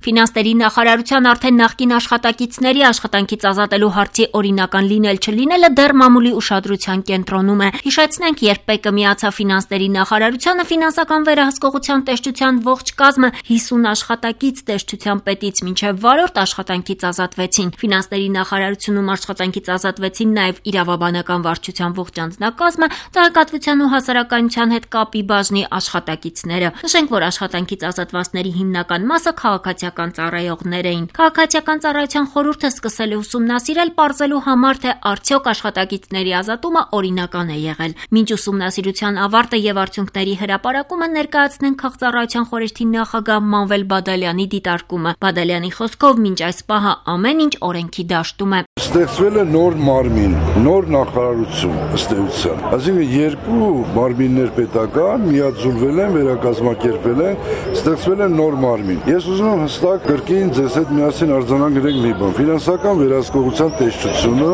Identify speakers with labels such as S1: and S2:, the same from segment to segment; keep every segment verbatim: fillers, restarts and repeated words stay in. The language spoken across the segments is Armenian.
S1: Ֆինանսների նախարարության արդեն նախկին աշխատակիցների աշխատանքից ազատելու հարցի օրինական լինել չլինելը դեռ մամուլի ուշադրության կենտրոնում է։ Հիշեցնենք, երբ ՊԵԿ-ը միացավ ֆինանսների նախարարությանը, ֆինանսական վերահսկողության տեսչության ողջ կազմը հիսուն աշխատակից տեսչության պետից մինչև վարորդ աշխատանքից ազատվեցին։ Ֆինանսների նախարարությունում աշխատանքից ազատվեցին նաև իրավաբանական վարչության ողջ անձնակազմը, տեղեկատվության ու հասարակայնության հետ կապի բաժնի աշխատակիցները։ Նշենք, որ աշխատանքից ազատվածների հիմնական մասը քաղաքացիական ծառայողներ էին։ Քաղաքացիական ծառայության խորհուրդը սկսել է ուսումնասիրել, պարզելու համար, թե արդյոք աշխատակիցների ազատումը օրինական է եղել։ Մինչ ուսումնասիրության ավարտը եւ արդյունքների հրապարակումը ներկայացնենք քաղծառայության խորհրդի նախագահ Մանվել Բադալյանի դիտարկումը։ Բադալյանի խոսքով մինչ այս պահը ամեն ինչ օրենքի դաշտում է։
S2: Ստեղծվել է նոր մարմին, նոր նախարարություն ըստ էության։ Այսինքն երկու մարմիններ պետական միաձուլվել են, վերակազմակերպվել են, ստեղծվել է նոր մարմին։ Ես ուզում եմ հստակ կրկին ձեզ հետ միասին արձանագրենք մի բան։ Ֆինանսական վերահսկողության տեսչությունը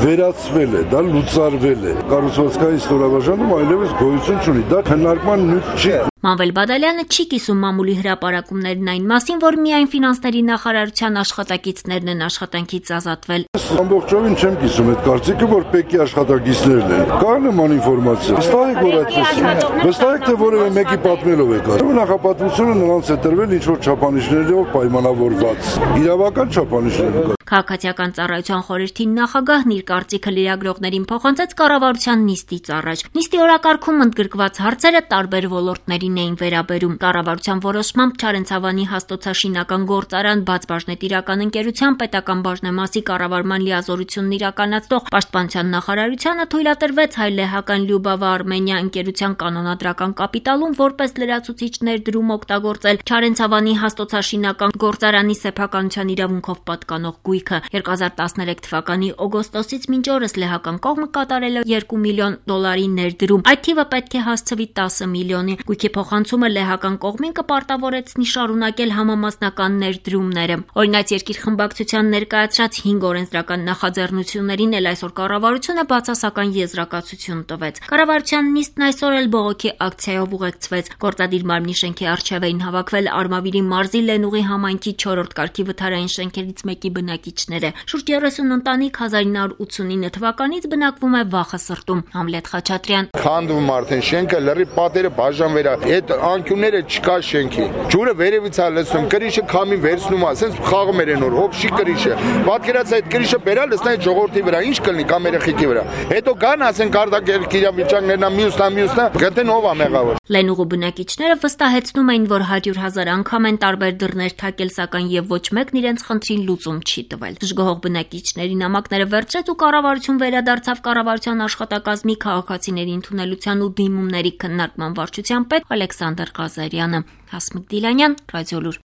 S2: վերացվել է, դա լուծարվել է։ Կառուցվածքային ստորաբաժանում այլևս գոյություն չունի։ Դա քննարկման նյութ չի։
S1: Մանվել Բադալյանը չի կիսում մամուլի հրապարակումներն այն մասին, որ միայն ֆինանսների նախարարության աշխատակիցներն են աշխատանքից ազատվել։
S2: Ամբողջովին չեմ կիսում այդ կարծիքը, որ ՊԵԿ-ի աշխատակիցներն են։ Կա նման ինֆորմացիա։ Վստահ եք, որ այդպես է։ Վստահ եք, թե որևէ մեկի պատմելով եք արել։ Նախապատվությունը նրանց է տրվել ինչ-որ չափանիշներով պայմանավորված։ Իրավական չափանիշներով։
S1: Քաղաքացիական ծառայության խորհրդի նախագահն իր կարծիքը լրագրողներին փոխանցեց կառավարության նիստից առաջ։ Նիստի օրակարգում ընդգրկված հարցերը տարբեր ոլորտներին էին վերաբերում։ Կառավարության որոշմամբ Չարենցավանի հաստոցաշինական գործարան բաց բաժնետիրական ընկերության պետական բաժնեմասի կառավարման լիազորությունն իրականացնող պաշտպանության նախարարությանը թույլատրվեց հայ-լեհական Լյուբավա Արմենիա ընկերության կանոնադրական կապիտալում որպես լրացուցիչ ներդրում օգտագործել Չարենցավանի հաստոցաշինական գործարանի սեփականության իրավունքով պատկանող գույքը։ երկու հազար տասներեք թվականի օգոստոսից մինչ օրս լեհական կողմը կատարել է երկու միլիոն դոլարի ներդրում։ Այդ թիվը պետք է հասցվի տասը միլիոնի։ Գույքի փոխանցումը լեհական կողմին կպարտավորեցնի շարունակել համամասնական ներդրումները։ Օրինակ երկիր խմբակցության ներկայացրած հինգ օրենսդրական նախաձեռնություններին էլ այսօր կառավարությունը բացասական եզրակացություն տվեց։ Կառավարության նիստն այսօր էլ բողոքի ակցիայով ուղեկցվեց։ Գործադիր մարմնի շենքի առջև էին հավաքվել Արմավիրի մարզի Լենուղի համայնքի չորրորդ կարգի վթարային շենքերից մեկի բնակիչները։ Շուրջ երեսուն ընտանիք հազար ինը հարյուր ութսունինը թվականից բնակվում է Վախասրտում։ Համլետ Խաչատրյան։
S3: Քանդվում արդեն շենքը, լրի պատերը բաժանվերա։ Այդ անկյունները չկա շենքի։ Ջուրը վերևից է լցնում, կրիշը քամին վերցնում է, ասենց խաղում էր նոր, հոբշի կրիշը։ Պատկերած այդ կրիշը բերալ լցնա այդ ժողովրդի վրա, ինչ կլինի կամ երեխեքի վրա։ Հետո գան, ասեն կարդակ իրավիճակներն է, մյուսն է, մյուսն է, գտեն ով է մեղավոր։
S1: Լենուղու բնակիչները վստահեցնում էին, որ հարյուր հազար անգամ են տարբեր դռներ թակել, սակայն եւ ոչ մեկն իրենց խնդրին լուծում չի տվել։ Դժգոհող բնակիչների նամակները վերցրեց ու կառավարություն վերադարձավ կառավարության աշխատակազմի քաղաքացիների ընդունելության ու դիմումների քննարկման վարչության պետ Ալեքսանդր Ղազարյանը։ Հասմիկ Դիլանյան, Ռադիոլուր։